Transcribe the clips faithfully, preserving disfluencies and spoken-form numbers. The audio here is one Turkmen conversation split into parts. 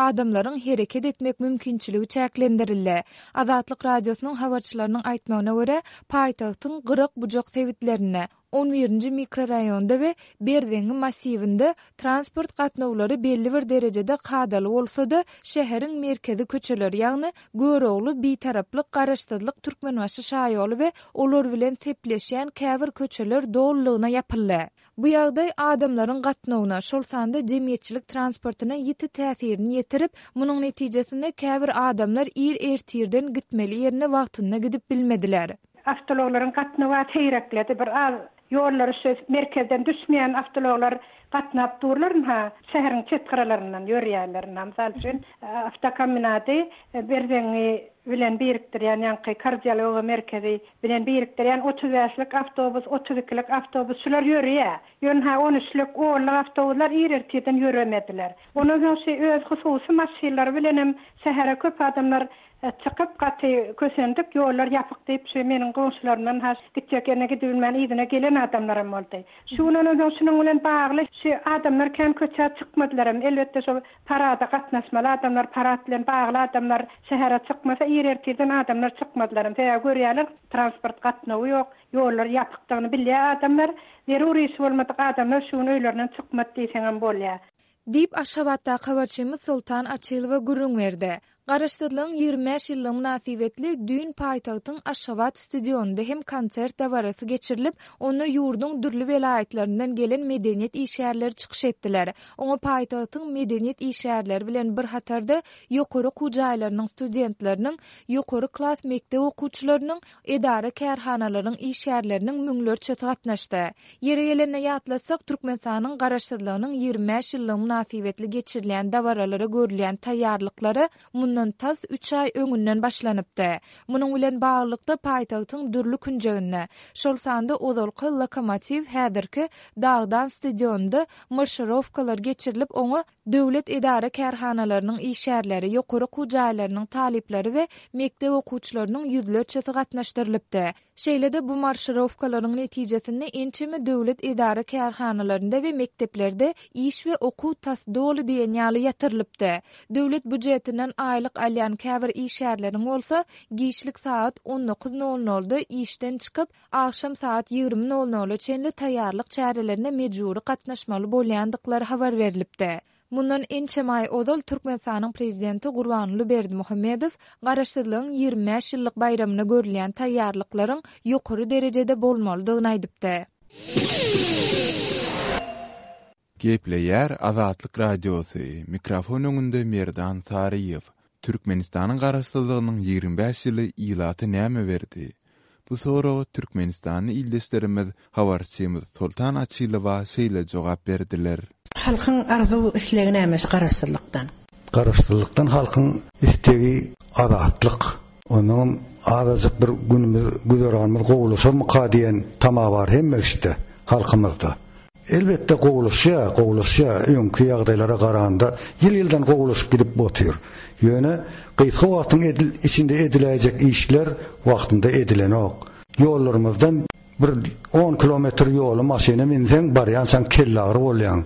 adamlaryň hereket etmek mümkinçiligi çäklendirildi. Azatlyk Radiosynyň habarçylarynyň aýtmagyna görä, paýtagtyň gyrak-bujak sebitlerinde, on birinji mikroraýonda we Berzeňňi massiwinde transport gatnawlary belli bir derejede kadaly bolsa-da, şäheriň merkezi köçeleri, ýagny Görogly, Bitaraplyk, Garaşsyzlyk, Türkmenbaşy şaýoly we olar bilen sepleşýän käbir köçeler dolulygyna ýapyldy. Bu ýagdaý adamlaryň gatnawyna, şol sanda jemgyýetçilik transportyna ýiti täsirini ýetirip, munuň netijesinde käbir adamlar ir ertirden gitmeli ýerine wagtynda gidip bilmediler. Awtoulaglaryň gatnawy seýrekledi, bir az ýollary şu merkezden düşmeýän awtoulaglar gatnap durlar, ha, şäheriň çet gyralaryndan ýörýärler. Mysal üçin, awtokombinady Berzeňňi bilen birikdirýän, ýaňky kardiologiýa merkezi bilen birikdirýän otuz bäşlik awtobus, otuz ikilik awtobus şular ýörýär. Ýöne ha on üçlük, onluk awtobuslar ir ertirden ýöremediler. Ondan soň şu öz hususy maşynlary bilen hem şähere köp adamlar çykyp gaty kösendik, ýollar ýapyk diýip, şu meniň goňşularymdan ha gitjek ýerine gidibilmän yzyna gelen adamlaram boldy. Şu gün ondan soň şunuň bilen bagly şu adamlar kän köçä çykmadylar hem. Elbetde şu parada gatnaşmaly adamlar, parad bilen bagly adamlar şähere çykmasa ir ertirden adamlar çykmadylar hem. Sebäbi görýärler, transport gatnawy ýok, ýollar ýapykdygyny bilýär adamlar. Zerur iş bolmadyk adamlar şu gün öýlerinden çykmady diýseňem bolýar. Diýip Aşgabatdaky habarçymyz Soltan Açylowa gürrüň berdi. Garaşsyzlygyň ýigrimi bäş ýyllygy mynasybetli düýn paýtagtyň Aşgabat stadionynda hem konsert dabarasy geçirilip, onda ýurduň dürli welaýatlaryndan gelen medeniýet işgärleri çykyş etdiler. Oňa paýtagtyň medeniýet işgärleri bilen bir hatarda ýokary okuw jaýlarynyň studentleriniň, ýokary klas mekdep okuwçylarynyň, edara kärhanalaryň işgärleriniň müňlerçesi gatnaşdy. Ýeri gelende ýatlatsak, Türkmenistanyň garaşsyzlygynyň ýigrimi bäş ýyllygy mynasybetli geçirilýän dabaralara görülýän taýýarlyklara mundan tas üç aý öňünden başlanypdy. Munuň bilen baglylykda paýtagtyň dürli künjeginde, şol sanda ozalky Lokomotiw häzirki Dagdan stadionynda marşirowkalar geçirilip, oňa döwlet edara kärhanalarynyň işgärleri, ýokary okuw jaýlarynyň talyplary we mekdep okuwçylarynyň ýüzlerçesi gatnaşdyrylypdy. Şeýle-de bu marşirowkalaryň netijesinde ençeme döwlet edara kärhanalarynda we mekdeplerde iş we okuw tas doly diýen ýaly ýatyrylypdy. Döwlet býujetinden aýlyk alýan käbir işgärleriň bolsa giçlik saat on dokuz nol nolda işden çykyp, agşam saat ýigrimi nol nola çenli taýýarlyk çärelerine mejbury gatnaşmaly bolýandyklary habar berilipdi. Mundan ençeme aý ozal Türkmenistanyň prezidenti Gurbanguly Berdimuhamedow garaşsyzlygyň ýigrimi bäş ýyllyk baýramyna görülýän taýýarlyklaryň ýokary derejede bolmalydygyny aýdypdy. Gepleýär Azatlyk Radiosy, mikrofon öňünde Merdan Saryýew. Türkmenistanyň garaşsyzlygynyň ýigrimi bäş ýyly ilata näme berdi? Bu soraga Türkmenistanly ildeşlerimiz habarçymyz Soltan Açylowa şeýle jogap berdiler. Halkyň arzuw islegi näme şu garaşsyzlykdan? Garaşsyzlykdan halkyň istegi azatlyk. Onuň azajyk bir günümüz, güzeranymyz gowulaşarmyka diýen tama bar hemme işte halkymyzda. Elbetde gowulaşýar, gowulaşýar. Öňki ýagdaýlara garanda ýyl-ýyldan gowulaşyp gidip otyr. Ýöne gysga wagtyň edil, içinde ediläýjek işler wagtynda edilenok. Ýollarymyzdan bir on kilometr ýoly maşyna minseň barýançaň kelle agyry bolýaň,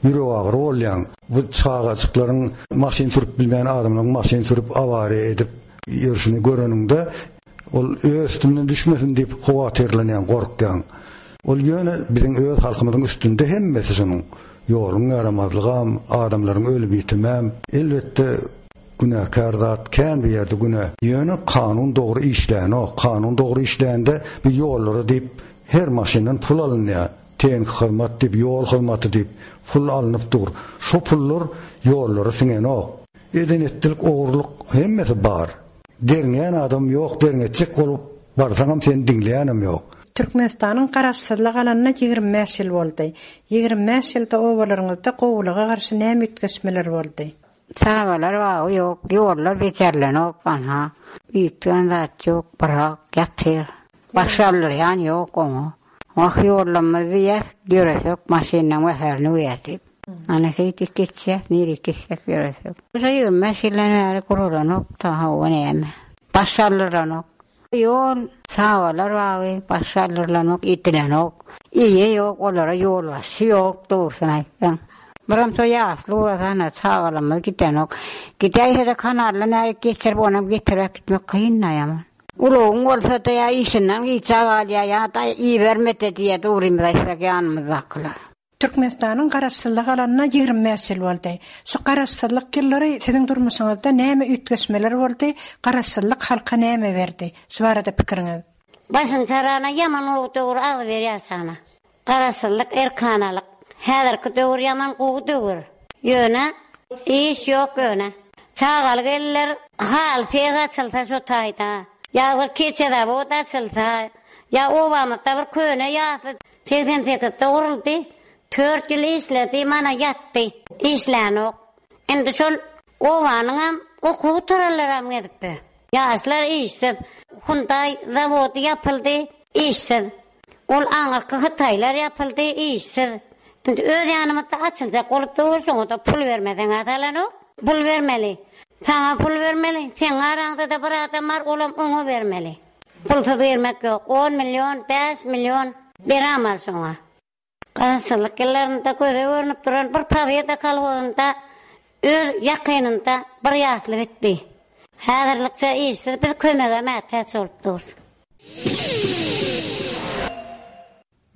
ýürek agyry bolýaň. Bu çagajyklaryň maşyn sürüp bilmeýän adamlaryň maşyn sürüp awariýa edip ýörşüni göreniňde ol öz üstünden düşmesin diýip howatyrlanýaň, gorkýaň. Ol ýöne biziň öz halkymyzyň üstünde hemmesi şonuň. Ýoluň ýaramazlygam, adamlaryň ölüp ýitimem, elbetde günäkär zat kän bir ýerde günä. Ýöne kanun dogry işlänok. Kanun dogry işlände bir ýollara diýip her maşyndan pul alynýar. Tehniki hyzmat diýip, ýol hyzmaty diýip pul alnyp dur. Şo pullar ýollara siňenok. Eden etdilik, ogurlyk hemmesi bar. Derňeýän adam ýok, derňetjek bolup barsaňam seni diňleýänem ýok. Türkmenistanyň garaşsyzlyk alanyna ýigrimi bäş ýyl boldy. Ýigrimi bäş ýylda obalaryňyzda gowulyga garşy näme üýtgeşmeler boldy? Çagalar bagy ýok, ýollar bejerlenok, aha. Üýtgän zat ýok, birak ýatyr. Baş aldyrýan ýok oňa. Wah ýollamaz diýýär, ýöresek maşyndan wäherini öýär diýip. Ana şeýdip geçýär, nirek gitsek ýöresek. Şu ýigrimi bäş ýyldan bäri guralanok, ta hawa näme. Baş aldyranok. Ýol, çagalar bagy, baş aldyrylanok, edilenok. Eýe ýok, olara ýolbaşçy ýok, dogrusyny aýtsaň. Biram şo ýasly ugrasana, çagalarymyz gidenok. Gidäýse-de kanaldan ärik geçirip, onam getirip äkitmek kyn-da ýaman. Ulagyň bolsa-da ýa işinden gijä galýar, ýa-da iberme-de diýýär, dogrymyzy aýtsak ýanymyzdakylar. Türkmenistanyň Garaşsyzlyk alanyna ýigrimi bäş ýyl boldy. Şu Garaşsyzlyk ýyllary siziň durmuşyňyzda näme üýtgeşmeler boldy, Garaşsyzlyk halka näme berdi? Şu barada pikiriňiz. Başyny çarana ýaman gowy döwür agzybir ýaşana. Garaşsyzlyk erkanalyk. Häzirki döwür ýaman gowy döwür. Ýöne iş ýok ýöne. Çagaly gelinler haly seh açylsa şo taýda. Ýa bir keçe zawod açylsa, ýa obamyzda bir köne ýasly segsen sekizde guruldy. Tört ýyl işledi, mana ýatdy. Işlänok. Indi şol obanyňam okuw gutaranlaram gezipbe. Ýaşlar işsiz. Hundaý zawody ýapyldy, işsiz. Ol aňyrky hytaýlar ýapyldy, işsiz. Indi öz ýanymyzda açyljak bolup dur, şoňa-da pul bermeseň-ä salanok. Pul bermeli. Saňa pul bermeli, seň araňda-da bir adam bar, olam oňa bermeli. Pulsuz girmek ýok. On million, bäş million berämal şoňa. Garaşsyzlyk ýyllarynda göze görnüp duran bir Pobeda kolhozynda öz ýakynynda bir ýasly bitdi. Häzirlikçe işsiz, biz kömege mätäç bolup durus.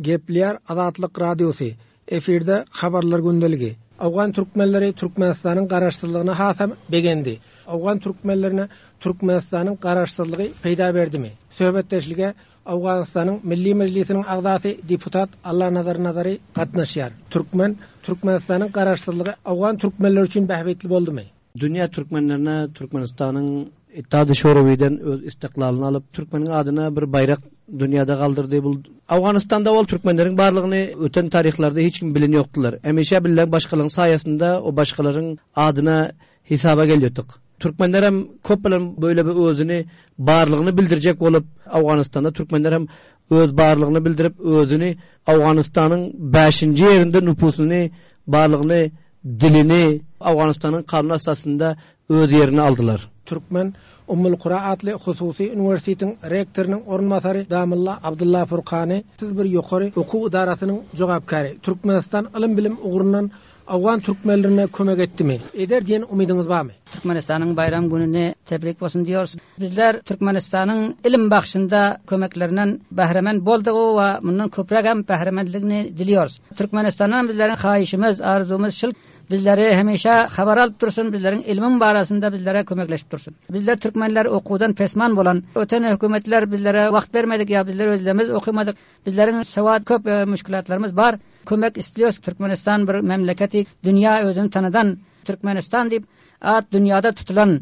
Gepleýär Azatlyk Radiosy, efirde Habarlar gündeligi. Owgan türkmenleri Türkmenistanyň garaşsyzlygyna hasam begendi. Owgan türkmenlerine Türkmenistanyň garaşsyzlygy peýda berdimi? Söhbetdeşlige Owganystanyň Milli Mejlisiniň agzasy deputat Allanazar Nazary gatnaşýar. Türkmen Türkmenistanyň garaşsyzlygy owgan türkmenleri üçin bähbitli boldumy? Dünýä türkmenlerine Türkmenistanyň Ittihad-ı Şurawiden öz istiklalyny alyp türkmeniň adyna bir baýrak dünýäde galdyrdy. Bu Owganystanda ol türkmenleriň barlygyny öten taryhlarda hiç kim bilen ýokdular. Hemişe bilen başgalaryň saýasynda o başgalaryň adyna hesaba gelýärdik. Türkmenler hem köp bilen böyle bir özüni barlygyny bildirjek bolup Owganystanda türkmenler hem öz barlygyny bildirip özüni Owganystanyň bäşinji ýerinde nüfusyny, barlygyny, dilini Owganystanyň kanun esasynda öz ýerini aldylar. Türkmen Ummul Kura atly hususy uniwersitetiň rektorynyň orunbasary Damylla Abdulla Furkany, siz bir ýokary okuw idarasynyň jogapkäri. Türkmenistan ylym bilim ugrundan Owgan türkmenlerine kömek etdimi? Eder diýen umydyňyz barmy? Türkmenistanyň baýram gününi tebrik bolsun diýoruz. Bizler Türkmenistanyň ilim bagşynda kömeklerinden bahremen boldygy we mundan köpräk hem bahremenligini diliyoruz. Türkmenistandan bizleriň haýyşymyz, arzumyz şul bizleri hemişe habar alyp dursun, bizleriň ilmiň barasynda bizlere kömekleşip dursun. Bizler türkmenler okuwdan pesman bolan, öten hökümetler bizlere wagt bermedik ýa bizler özlerimiz okumadyk. Bizleriň sawat köp, e, müşkülatlarymyz bar. Kömek istiyoruz. Türkmenistan bir memleketi, dünýä özüni tanadan Türkmenistan diýip at dünýäde tutulan.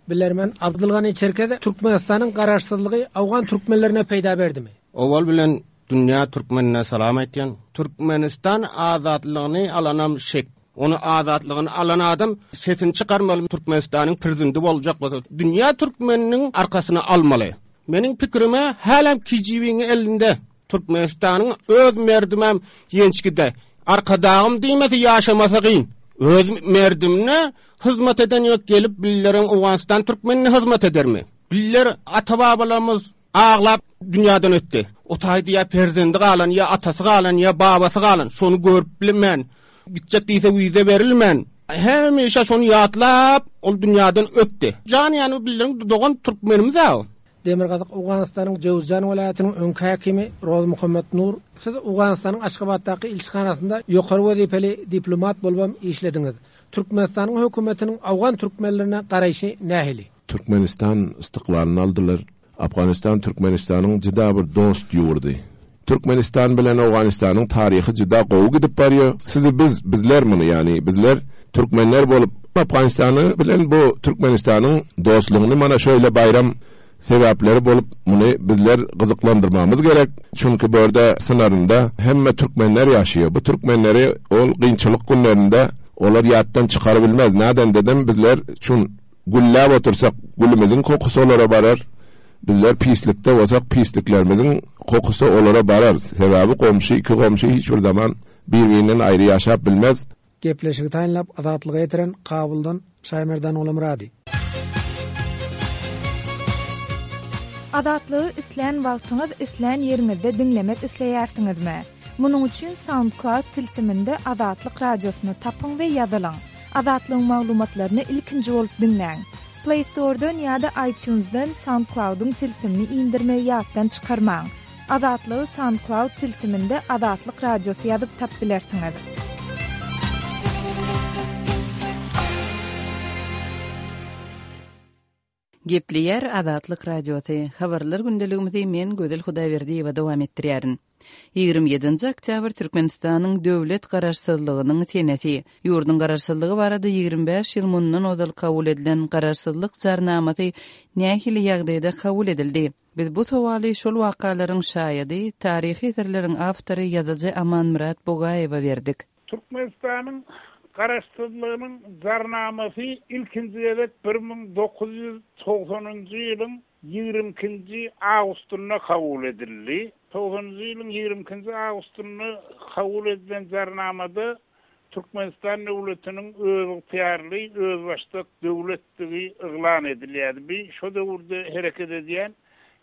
Bilermen Abdulgani Çerkez Türkmenistanyň garaşsyzlygy Owgan türkmenlerine peýda berdimi? Owal bilen dünýä türkmenine salam aýtýan. Türkmenistan azatlygyny alanam şek. Onu azatlygyny alan adam sesini çykarmaly, Türkmenistanyň prezidenti boljak bolsa dünýä türkmeniniň arkasyny almaly. Meniň pikrime hälem K G B-niň elinde Türkmenistanyň öz merdimem ýençgide. Arkadagym diýmese ýaşamasa gyn. Öz merdimine hyzmat eden ýok, gelip billeriň Owganystan türkmenine hyzmat edermi? Biller ata-babalarymyz aglap dünýäden ötdi. O taýda ýa perzendi galan, ýa atasy galan, ýa babasy galan, şonu görüp bilmän, gitjek diýse wize berilmän, hemişe şonu ýatlap ol dünýäden ötdi. Jan ýany billeriň dogan türkmenimiz aw. Demirgazyk Owganystanyň Jowzjan welaýatynyň öňki häkimi Roz Muhammed Nur, siz Owganystanyň Aşgabatdaky ilçihanasynda ýokary wezipeli diplomat bolubam işlediňiz. Türkmenistanyň hökümetiniň Owgan türkmenlerine garaýşy nähili? Türkmenistan istiklalyny aldylar. Afganistan Türkmenistanyň juda bir dost ýurdy. Türkmenistan bilen Owganystanyň taryhy juda gowy gidip barýar. Sizi biz, bizler muny, ýani bizler türkmenler bolup Afganistany bilen bu Türkmenistanyň dostlugyny mana şöyle baýram sebäpleri bolup muny bizler gyzyklandyrmamyz gerek. Çünki bu ýerde sınarynda hemme türkmenler ýaşaýar. Bu türkmenleri ol gynçylyk günlerinde olar ýatdan çykara bilmez. Näden dedim bizler çün gülläp otursak gülümizin kokusy olara barar. Bizler pislikde bolsak pisliklerimizin kokusy olara barar. Sebäbi komşy, iki komşy hiç bir zaman bir-birinden aýry ýaşap bilmez. Gepleşigi taýynlap Azatlyga ýetiren Kabuldan Şaýmerdan Olamurady. Azatlygy islän wagtyňyz, islän ýeriňizde diňlemek isleýärsiňizmi? Munuň üçin SoundCloud tilsiminde Azatlyk Radiosyny tapyň we ýazylyň. Azatlygyň maglumatlaryny ilkinji bolup diňläň. Play Store-dan ýa-da iTunes-dan SoundCloud-yň tilsimini indirmegi ýatdan çykarmaň. Azatlygy SoundCloud tilsiminde Azatlyk Radiosy ýazyp tapyp bilersiňiz. Gepleýär Azatlyk Radiosy. Habarlar gündeligimizi men Gözel Hudaýberdiýewa dowam etdirýärin. Ýigrimi ýedinji oktýabr Türkmenistanyň döwlet garaşsyzlygynyň senesi. Ýurduň garaşsyzlygy barada ýigrimi bäş ýyl mundan ozal kabul edilen Garaşsyzlyk Jarnamasy nähili ýagdaýda kabul edildi? Biz bu sowaly şol wakalaryň şaýady, taryhy eserleriň awtory ýazyjy Amanmyrat Bugaýewe berdik. Türkmenistanyň Garaşsyzlygynyň Jarnamasy ilkinji gezek bir müň dokuz ýüz togsanynjy ýylyň ýigrimi ikinji awgustynda kabul edildi. Togsanynjy ýylyň ýigrimi ikinji awgustynda kabul edilen Jarnamada Türkmenistan döwletiniň özygtyýarly, özbaşdak döwletdigi yglan edilýärdi. Bi şo döwürde hereket edýän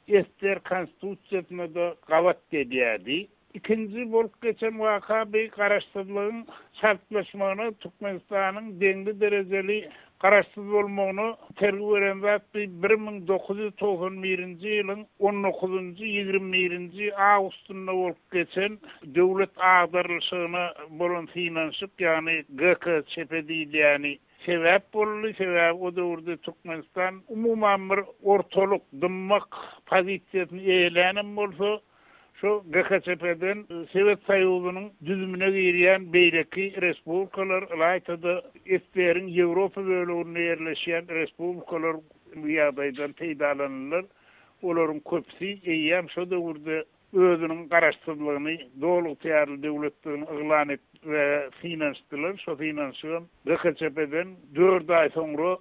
S S R Konstitusiýasyna-da gabat gelýärdi. Ikinji bolup geçen waka bi garaşsyzlygyň çaltlaşmagyna, Türkmenistanyň deňli derejeli garaşsyz bolmagyna itergi beren zat bi bir müň dokuz ýüz togsan birinji ýylyň on dokuzynjy, ýigrimi birinji awgustynda bolup geçen döwlet agdarylyşygyna bolan synanyşyk, ýagny G K Ç P diýilýäni sebäp boldy. Sebäbi o döwürde Türkmenistan umuman bir ortalyk, dymmak pozisiýasyny eýelänem bolsa, şu G K Ç P-den Sowet Soýuzynyň düzümine girýän beýleki respublikalar, ylaýta-da S S R-iň Ýewropa böleginde ýerleşýän respublikalar bu ýagdaýdan peýdalandylar. Olaryň köpüsi eýýäm şo döwürde özüniň garaşsyzlygyny, doly ygtyýarly döwletdigini yglan etdi we synanyşdylar. Şo synanyşygam G K Ç P-den dört aý soňra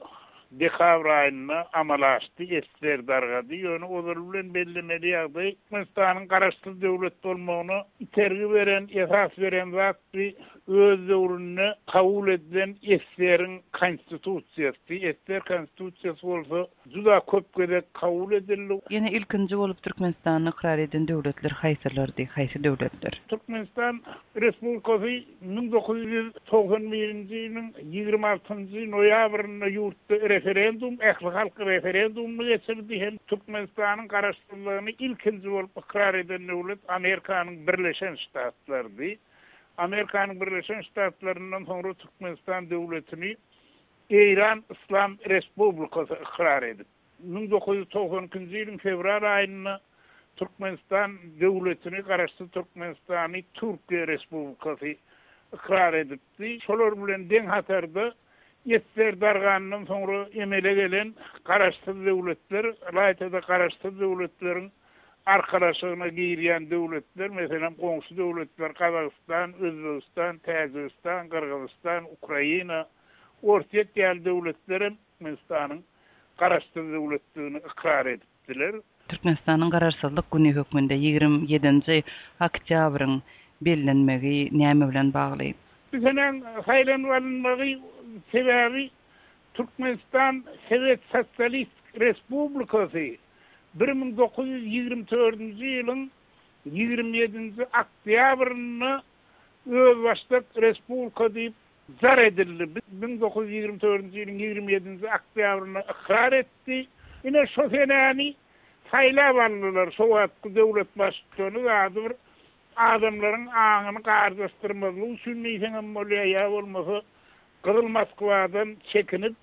dekabr aýynda amala aşdy, S S R dargady. Ýöne ozal bilen bellemeli ýagdaý Türkmenistanyň garaşsyz döwlet bolmagyna itergi beren, esas beren zat bi öz döwründe kabul edilen S S R-iň konstitusiýasy. S S R konstitusiýasy bolsa juda köp gezek kabul edildi. Ýene ilkinji bolup Türkmenistany ykrar eden döwletler haýsylardy, haýsy döwletler? Türkmenistan Respublikasy müň dokuz ýüz togsan birinji ýylyň ýigrimi altynjy noýabrynda ýurtda referendum, ähli halk referendumyny geçirdi. Hem Türkmenistanyň garaşsyzlygyny ilkinji bolup ykrar eden döwlet Amerikanyň Birleşen Ştatlarydy. Amerikanyň Birleşen Ştatlaryndan soňra Türkmenistan döwletini Eýran Islam Respublikasy ykrar edip, müň dokuz ýüz togsan ikinji ýylyň fewral aýynda Türkmenistan döwletini, garaşsyz Türkmenistany Türkiýe Respublikasy ykrar edipdi. Şolar bilen deň hatarda S S R dargandan soňra emele gelen garaşsyz döwletler, ylaýta-da garaşsyz döwletleriň arkalaşygyna girýän döwletler, meselem goňşy döwletler Gazagystan, Özbegistan, Täjigistan, Gyrgyzystan, Ukraina, Orsýet ýaly döwletler hem Türkmenistanyň garaşsyz döwletdigini ykrar edipdiler. Türkmenistanyň garaşsyzlyk güni hökmünde ýigrimi ýedinji oktýabryň bellenmegi näme bilen bagly? Bu senäň saýlanyp alynmagy sebäbi Türkmenistan Sowet Sosialist Respublikasy bir müň dokuz ýüz ýigrimi dördünji ýylyň ýigrimi ýedinji oktýabrynda özbaşdak respublika diýip zar edildi. Müň dokuz ýüz ýigrimi dördünji ýylyň ýigrimi ýedinji oktýabrynda ykrar etdi. Ine şo senäni saýlap aldylar. Şo wagtky döwlet baştutany ady bir adamlaryň aňyny gardaşdyrmazlyk üçin diýseňem bolýar, ýa bolmasa Gyzyl Moskwadan çekinip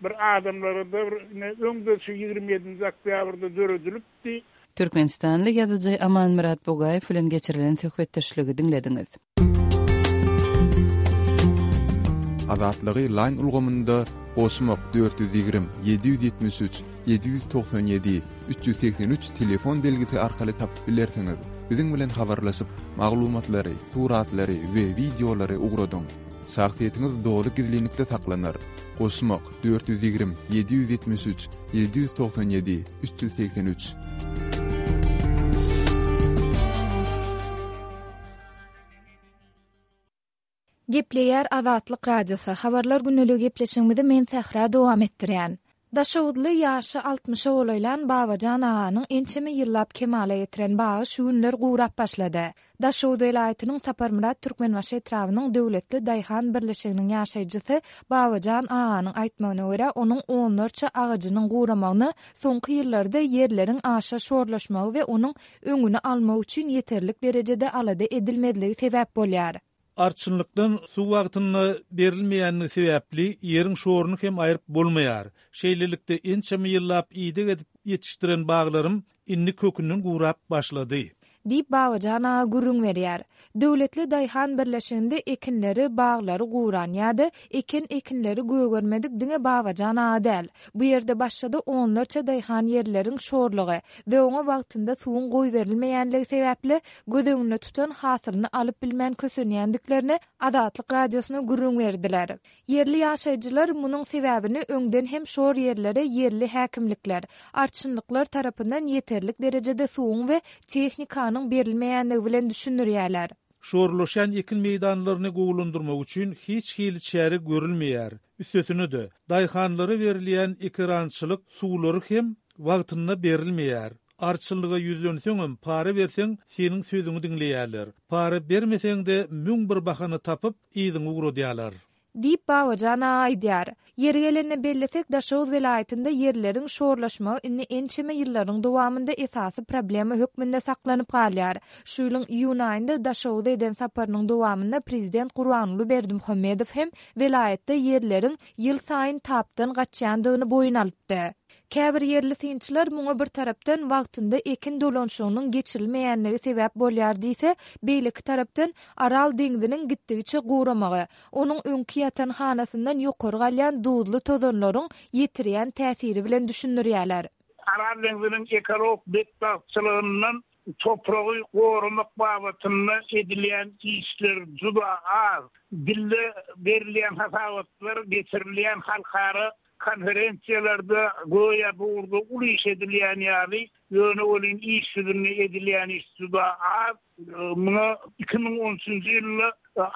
bir adamlara da bir ine öňde şu ýigrimi ýedinji oktýabrda döredilipdi. Türkmenistanly ýazyjy Amanmyrat Bugaýew bilen geçirilen söhbetdeşligi diňlediňiz. Azatlygy line ulgamynda goşmak dört ýüz ýigrimi, ýedi ýüz ýetmiş üç, ýedi ýüz togsan ýedi, üç ýüz segsen üç telefon belgisi arkaly tapyp bilersiňiz. Biziň bilen habarlaşyp, maglumatlary, suratlary we wideolary ugradyň. Şahsyýetiňiz doly gizlinlikde saklanar. Goşmak dört ýüz ýigrimi, ýedi ýüz ýetmiş üç, ýedi ýüz togsan ýedi, üç ýüz segsen üç. Gepleýär Azatlyk Radiosy. Habarlar günlügi gepleşigimizi men Sähra dowam etdirýän. Daşoguzly ýaşy altmyşa golaýlan Babajan aganyň ençeme ýyllap kemala getiren bagy şu günler gurap başlady. Daşoguz welaýatynyň Saparmyrat Türkmenbaşy etrabynyň Döwletli daýhan birleşiginiň ýaşaýjysy Babajan aganyň aýtmagyna görä, onuň onlarça agajynyň guramagyna soňky ýyllarda ýerleriň aşa şorlaşmagy we onuň öňüni almak üçin ýeterlik derejede alada edilmezligi sebäp bolýar. Arçynlykdan suw wagtynda berilmeýändigi sebäpli ýeriň şoruny hem aýryp bolmaýar. Şeýlelikde, ençeme ýyllap ideg edip ýetişdiren baglarym indi kökünden gurap başlady. Diýip, Babajan aga gürrüň berýär. Döwletli daýhan birleşiginde ekinleri, baglary guran ýa-da eken ekinleri gögermedik diňe Babajan aga däl. Bu ýerde başga-da onlarça daýhan ýerleriň şorlugy we oňa wagtynda suwuň goýberilmeýänligi sebäpli göz öňünde tutan hasylyny alyp bilmän kösenýändiklerini Azatlyk Radiosyna gürrüň berdiler. Ýerli ýaşaýjylar munuň sebäbini öňden hem şor ýerlere ýerli häkimlikler, arçynlyklar tarapyndan ýeterlik derejede suwuň we tehnikanyň berilmeýänligi bilen düşündirýärler. Şorlaşýan ekin meýdanlaryny gowulandyrmak üçin hiç hili çäre görülmeýär. Üstesine-de, daýhanlara berilýän ekerançylyk suwlary hem wagtynda berilmeýär. Arçynlyga ýüzlenseňem, para berseň, seniň sözüňi diňleýärler. Para bermeseň-de, müň bir bahana tapyp, yzyňa ugradýarlar. Diýip, Babajan aga aýdýar. Ýeri gelende bellesek, Daşoguz welaýatynda ýerleriň şorlaşmagy indi ençeme ýyllaryň dowamynda esasy problema hökmünde saklanyp galýar. Şu ýylyň iýun aýynda Daşoguza eden saparynyň dowamynda prezident Gurbanguly Berdimuhamedow hem welaýatda ýerleriň ýylsaýyn tapdan gaçýandygyny boýun alypdy. Käbir ýerli synçylar muňa bir tarapdan wagtynda ekin dolanyşygynyň geçirilmeýänligi sebäp bolýar diýse, beýleki tarapdan Aral deňziniň gitdigiçe guramagy, onuň öňki ýatan hanasyndan ýokary galýan duzly tozanlaryň ýetirýän täsiri bilen düşündirýärler. Aral deňziniň ekologik betbagtçylygyndan topragy goramak babatynda edilýän işler juda az. Dilde berilýän hasabatlar, geçirilýän halkara konferensiýalarda göýä bu ugurda uly iş edilýän ýaly, ýöne welin iş ýüzünde edilýän iş juda az. Muňa iki müň on üçünji ýylda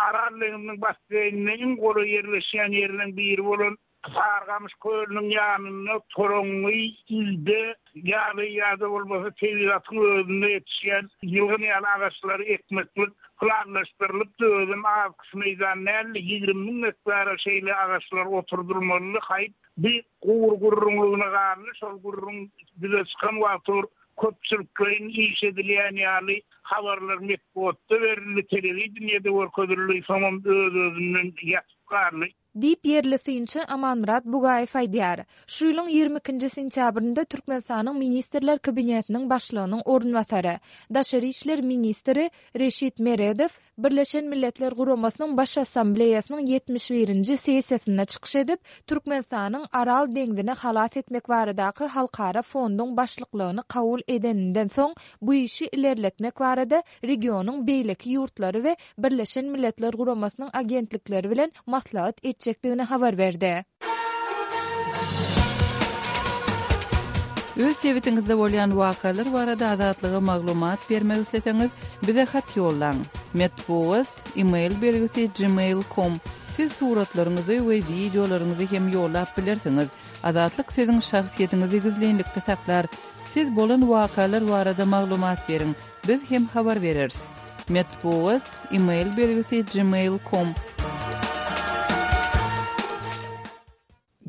Aral deňziniň basseýnine iň golaý ýerleşýän ýerleriň biri bolan Sarygamyş kölüniň ýanynda toraňňy, ilde ýaly ýa-da bolmasa tebigatyň özünde ýetişýän ýylgyn ýaly agaçlary ekmeklik planlaşdyrylypdy. Özem az meýdan däldi, ýigrimi müň gektara şeýle agaçlar oturdylmalydy. Haýp, bir gury gürrüňligine galdy. Şol gürrüň ýüze çykan wagty bir köpçülikleýin iş edilýän ýaly habarlar metbugatda berildi, telewideniýede görkezildi, soňam öz-özünden ýatyp galdy. Diýip, ýerli synçy Amanmyrat Bugaýew aýdýar. Şu ýylyň ýigrimi ikinji sentýabrynda Türkmenistanyň Ministrler Kabinetiniň Başlygynyň orunbasary, daşary işler ministri Reşit Meredow Birleşen Milletler Guramasynyň Baş Assambleýasynyň ýetmiş birinji sessiýasynda çykyş edip, Türkmenistanyň Aral deňzini halas etmek baradaky halkara fonduň başlyklygyny kabul edeninden soň bu işi ilerletmek barada regionyň beýleki ýurtlary we Birleşen Milletler Guramasynyň agentlikleri bilen maslahat etjekdigini habar berdi. Öz sebitiňizde bolýan wakalar barada Azatlyga maglumat bermek isleseňiz, bize hat ýollaň. Metbugat, e-mail belgisi gmail com. Siz suratlaryňyzy we wideolaryňyzy hem ýollap bilersiňiz. Azatlyk siziň şahsyýetiňizi gizlinlikde saklar. Siz bolan wakalar barada maglumat beriň, biz hem habar bereris. Metbugat, e-mail belgisi gmail com.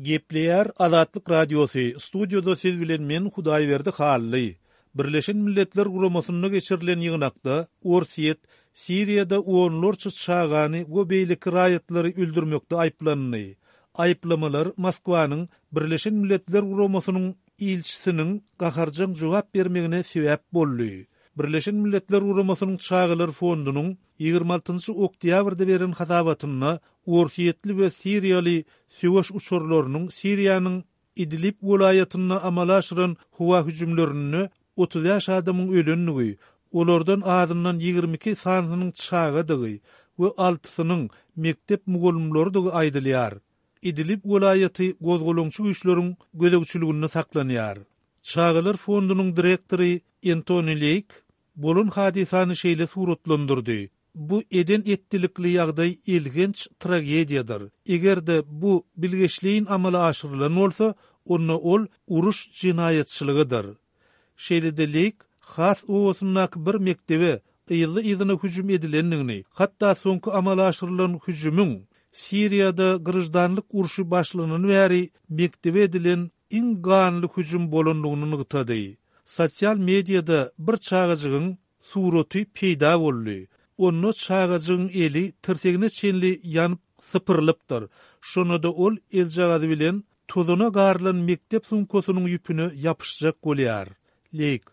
Gepleýär Azatlyk Radiosy, studiýada siz bilen men Hudaýberdi Hally. Birleşen Milletler Guramasynda geçirilen ýygnakda Orsýet Siriýada onlarça çagany we beýleki raýatlary öldürmekde aýyplandy. Aýyplamalar Moskwanyň Birleşen Milletler Guramasynyň ilçisiniň gaharjaň jogap bermegine sebäp boldy. Birleşen Milletler Guramasynyň Çagalar fondunyň ýigrimi altynjy oktýabrda beren hasabatynda orsýetli we siriýaly söweş uçarlarynyň Siriýanyň Idlib welaýatynda amala aşyran howa hüjümlerinde otuz bäş adamyň ölendigi, olardan azyndan ýigrimi iki sanysynyň çagadygy we altysynyň mekdep mugallymlarydygy aýdylýar. Idlib welaýaty gozgalaňçy güýçleriň gözegçiliginde saklanýar. Çagalar fondunyň direktory Entoni Leýk bolan hadysany şeýle suratlandyrdy, Bu eden-etdilikli ýagdaý elhenç tragediýadyr. Eger-de bu bilgeşleýin amala aşyrylan bolsa, onda ol uruş jenaýatçylygydyr. Şeýle-de Leýk Has obasyndaky bir mekdebe yzly-yzyna hüjüm edilendigini, hatda soňky amala aşyrylan hüjümiň Siriýada graždanlyk urşy başlanany bäri mekdebe edilen iň ganly hüjüm bolandygyny nygtady. Sosial mediada bir çagajygyň suraty peýda boldy. Onda çagajygyň eli tirsegine çenli ýanyp sypyrylypdyr. Şonda-da ol eljagazy bilen tozana garylan mekdep sumkasynyň ýüpüne ýapyşjak bolýar. Leýk,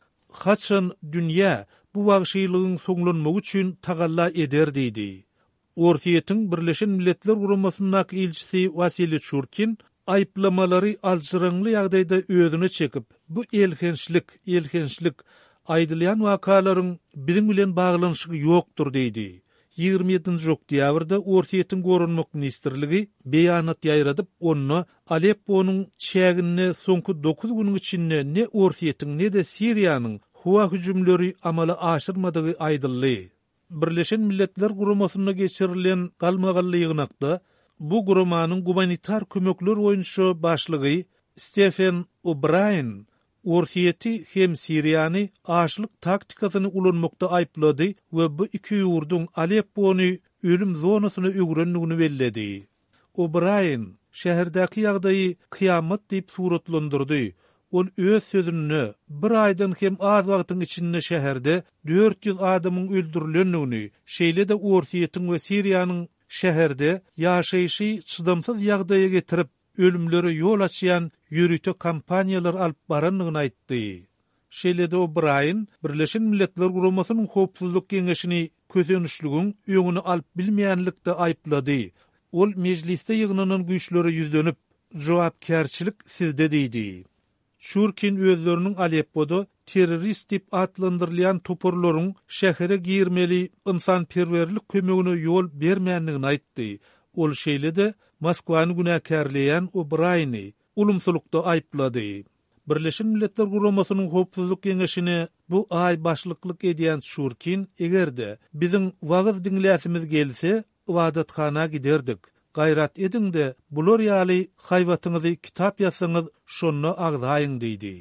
Haçan dünýä bu wagşylygyň soňlanmagy üçin tagalla eder diýdi. Orsýetiň Birleşen Milletler Guramasyndaky ilçisi Wasiliý Çurkin aýyplamalary aljyraňly ýagdaýda özüne çekip, Bu elhençlik, elhençlik. Aýdylýan wakalaryň biziň bilen baglanyşygy ýokdur diýdi. Ýigrimi ýedinji oktýabrda Orsýetiň Goranmak ministrligi beýanat ýaýradyp, onda Alepponyň çäginde soňky dokuz günüň içinde ne Orsýetiň, ne-de Siriýanyň howa hüjümleri amala aşyrmadygy aýdyldy. Birleşen Milletler Guramasynda geçirilen galmagally ýygnakda bu guramanyň gumanitar kömekler boýunça başlygy Stefen O'Braýen Orsýeti hem Siriýany açlyk taktikasyny ulanmakda aýyplady we bu iki ýurduň Aleppony ölüm zonasyna öwrendigini belledi. O'Braýen şäherdäki ýagdaýy kyýamat diýip suratlandyrdy. Ol öz sözünde bir aýdan hem az wagtyň içinde şäherde dört ýüz adamyň öldürilendigini, şeýle-de Orsýetiň we Siriýanyň şäherde ýaşaýşy çydamsyz ýagdaýa getirip, ölümlere ýol açýan ýörite kampaniýalar alyp barandygyny aýtdy. Şeýle-de O'Braýen Birleşen Milletler Guramasynyň Howpsuzlyk Geňeşini kösençligiň öňüni alyp bilmeýänlikde aýyplady. Ol mejlisde ýygnanan güýçlere ýüzlenip, Jogapkärçilik sizde diýdi. Çurkin özleriniň Aleppoda terrorist diýip atlandyrylýan toparlaryň şähere girmeli ynsanperwerlik kömegine ýol bermändigini aýtdy. Ol şeýle-de Moskwany günäkärleýän O'Braýeni ulumsylykda aýyplady. Birleşen Milletler Guramasynyň Howpsuzlyk Geňeşine bu aý başlyklyk edýän Çurkin eger-de biziň wagyz diňläsimiz gelse, ybadathana giderdik. Gaýrat ediň-de, bular ýaly haýbatyňyzy kitap ýazsaňyz, şonda agzaýyň diýdi.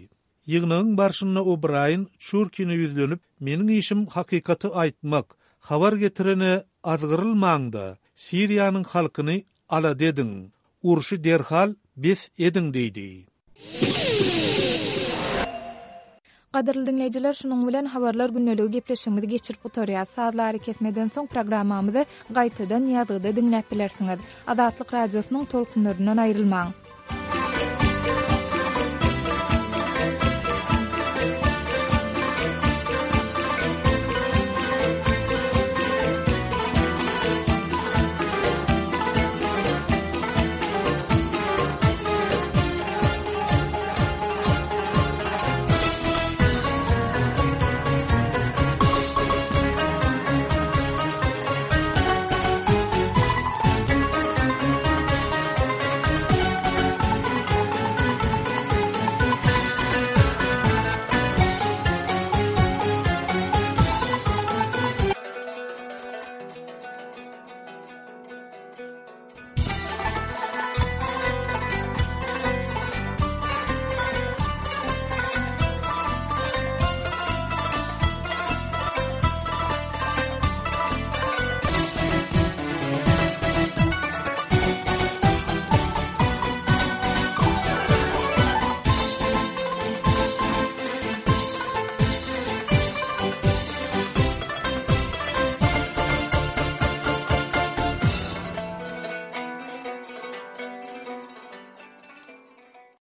Ýygnagyň barşynda O'Braýen Çurkine ýüzlenip, Meniň işim hakykaty aýtmak. Habar getirene azgyrylmaň-da, Siriýanyň halkyny alada ediň. Urşy derhal bes ediň diýdi. Gadyrly diňleýjiler, şunuň bilen Habarlar gündeligi gepleşigimizi geçirip gutarýas. Sazly arakesmeden soň programmamyzy gaýtadan ýazgyda diňläp bilersiňiz. Azatlyk Radiosynyň tolkunlaryndan aýrylmaň!